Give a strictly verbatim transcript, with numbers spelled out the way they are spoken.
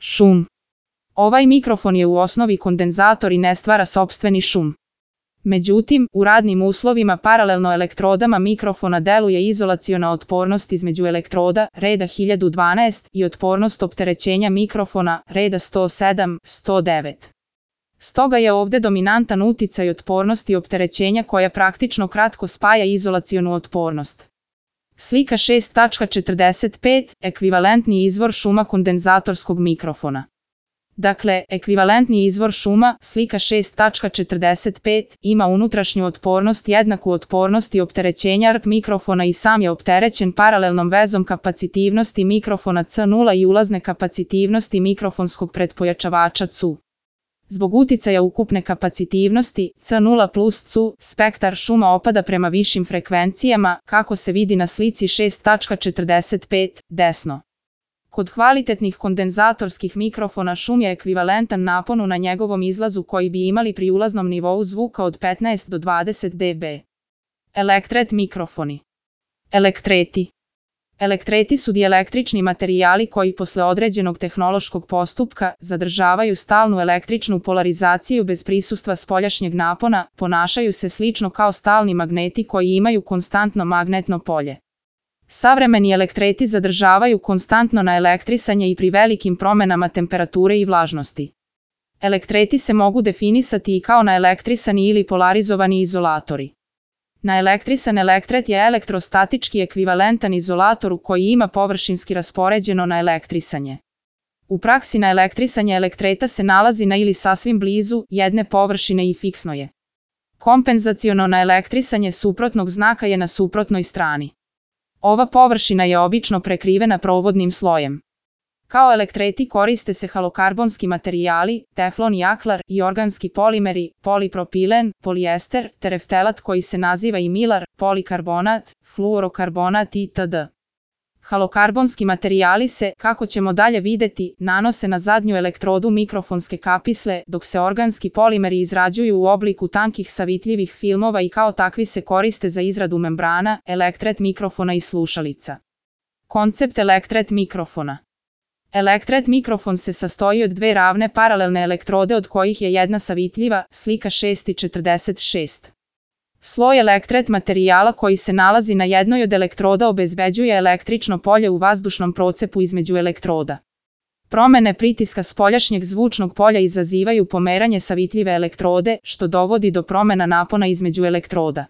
Šum. Ovaj mikrofon je u osnovi kondenzator i ne stvara sopstveni šum. Međutim, u radnim uslovima paralelno elektrodama mikrofona deluje izolaciona otpornost između elektroda reda hiljadu dvanaest i otpornost opterećenja mikrofona reda sto sedam sto devet. Stoga je ovdje dominantan uticaj otpornosti opterećenja koja praktično kratko spaja izolacionu otpornost. Slika šest tačka četrdeset pet. Ekvivalentni izvor šuma kondenzatorskog mikrofona. Dakle, ekvivalentni izvor šuma, slika šest tačka četrdeset pet, ima unutrašnju otpornost jednaku otpornosti opterećenja R P mikrofona i sam je opterećen paralelnom vezom kapacitivnosti mikrofona C nula i ulazne kapacitivnosti mikrofonskog pretpojačavača C U. Zbog uticaja ukupne kapacitivnosti C nula plus C U, spektar šuma opada prema višim frekvencijama, kako se vidi na slici šest tačka četrdeset pet, desno. Kod kvalitetnih kondenzatorskih mikrofona šum je ekvivalentan naponu na njegovom izlazu koji bi imali pri ulaznom nivou zvuka od petnaest do dvadeset decibela. Elektret mikrofoni. Elektreti. Elektreti su dielektrični materijali koji posle određenog tehnološkog postupka zadržavaju stalnu električnu polarizaciju bez prisustva spoljašnjeg napona, ponašaju se slično kao stalni magneti koji imaju konstantno magnetno polje. Savremeni elektreti zadržavaju konstantno naelektrisanje i pri velikim promenama temperature i vlažnosti. Elektreti se mogu definisati i kao naelektrisani ili polarizovani izolatori. Naelektrisan elektret je elektrostatički ekvivalentan izolatoru koji ima površinski raspoređeno naelektrisanje. U praksi naelektrisanje elektreta se nalazi na ili sasvim blizu jedne površine i fiksno je. Kompenzaciono naelektrisanje suprotnog znaka je na suprotnoj strani. Ova površina je obično prekrivena provodnim slojem. Kao elektreti koriste se halokarbonski materijali, teflon i aklar i organski polimeri, polipropilen, polijester, tereftelat koji se naziva i milar, polikarbonat, fluorokarbonat itd. Halokarbonski materijali se, kako ćemo dalje vidjeti, nanose na zadnju elektrodu mikrofonske kapisle, dok se organski polimeri izrađuju u obliku tankih savitljivih filmova i kao takvi se koriste za izradu membrana, elektret mikrofona i slušalica. Koncept elektret mikrofona. Elektret mikrofon se sastoji od dve ravne paralelne elektrode od kojih je jedna savitljiva, slika šest četrdeset šest. Sloj elektret materijala koji se nalazi na jednoj od elektroda obezbeđuje električno polje u vazdušnom procepu između elektroda. Promene pritiska spoljašnjeg zvučnog polja izazivaju pomeranje savitljive elektrode, što dovodi do promena napona između elektroda.